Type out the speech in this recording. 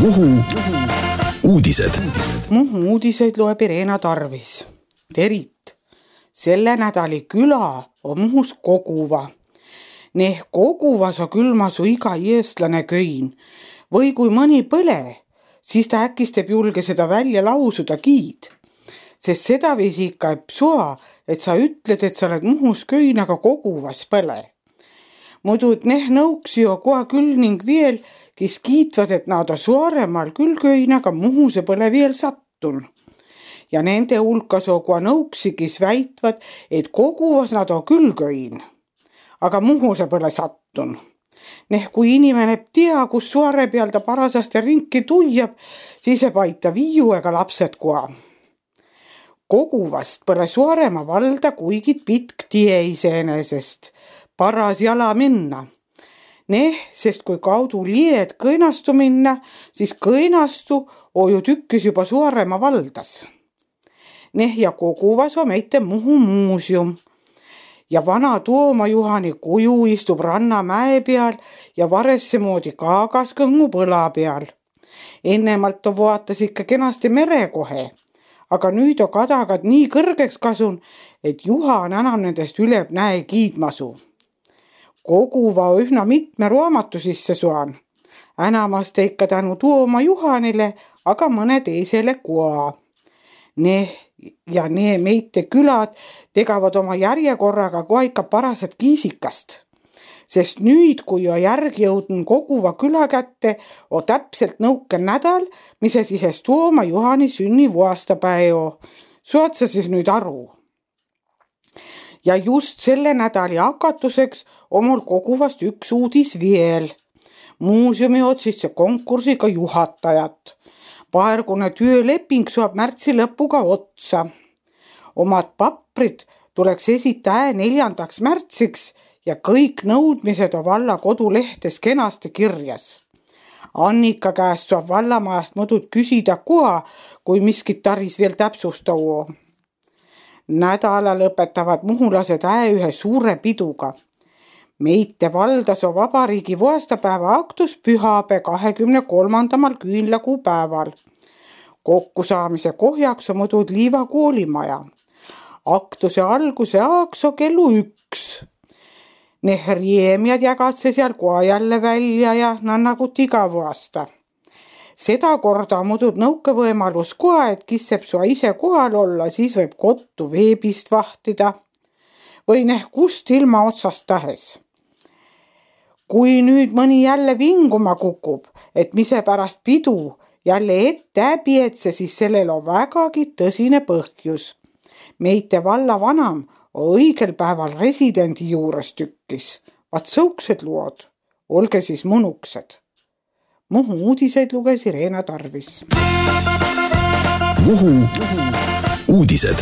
Muhu uudised. Muhu uudiseid loeb Irena Tarvis. Terit, selle nädali küla on Muhus Koguva. Neh Koguvas on külmasu iga eestlane köin. Või kui mõni põle, siis ta äkis teeb julge seda välja lausuda kiid. Sest seda viisi ikka sua, et sa ütled, et sa oled Muhus köin, aga Koguvas põle. Muidu et neh nõuksi jo koha küll ning veel, kes kiitvad, et nad on Saaremal küll köin, aga Muhuse põle veel sattun. Ja nende hulkas on koha nõuksi, kes väitvad, et Koguvas nad on küll köin, aga Muhuse põle sattun. Neh kui inimene tea, kus Saare peal ta parasasti ringi tuiab, siis ei paita viiu ega lapsed koha. Koguvast põle Saaremaa valda kuigi pitk tie iseenesest, paras jala minna. Neh, sest kui kaudu lied kõinastu minna, siis kõinastu on ju tükkis juba Saaremaa valdas. Neh ja Koguvas on meite Muhu muuseum. Ja vana Tooma Juhani kuju istub Rannamäe peal ja varesse moodi kaagas kõngu põla peal. Ennemalt on vaatas ikka kenasti mere kohe, aga nüüd on kadagad nii kõrgeks kasun, et Juhan enam nendest üleb näe kiidmasu. Koguva ühna mitme raamatu sisse suan. Enamasti ikka tänu Tooma Juhanile, aga mõne teisele koa. Neh ja nee meite külad tegavad oma järjekorraga kohe ikka parased kiisikast. Sest nüüd, kui on järgi jõudnud Koguva küla kätte, on täpselt nõuke nädal, mis siis Tooma Juhani sünnivuastapäev. Saad sa siis nüüd aru? Ja just selle nädali hakatuseks on mul Koguvast üks uudis veel. Muuseumi otsisse konkursiga juhatajat. Paargune tööleping saab märtsi lõpuga otsa. Omad paprid tuleks esita 4. märtsiks ja kõik nõudmised on valla kodulehtes kenasti kirjas. Annika käest saab vallamajast mõdud küsida koha, kui miskit taris veel täpsustavu. Nädala lõpetavad muhulased ühe suure piduga. Meite valdas on vabariigi vuastapäeva aktus pühapäev 23. küünlakuu päeval. Kokkusaamise kohjaks on mõdud Liiva koolimaja. Aktuse alguse aaks on kellu 1. Neh riemjad jagatse seal koha jälle välja ja nannagut iga vuasta. Seda korda on mõdud nõuke võimalus koha, et kisseb sua ise kohal olla, siis võib kottu veebist vahtida. Või neh kust ilma otsast tahes. Kui nüüd mõni jälle vinguma kukub, et mise pärast pidu jälle ette äbietse, siis sellel on vägagi tõsine põhjus. Meite valla vanam on õigel päeval residendi juures tükkis. Vaat sõuksed lood, olge siis mõnuksed. Muhu uudiseid luges Irena Tarvis. Muhu uudised.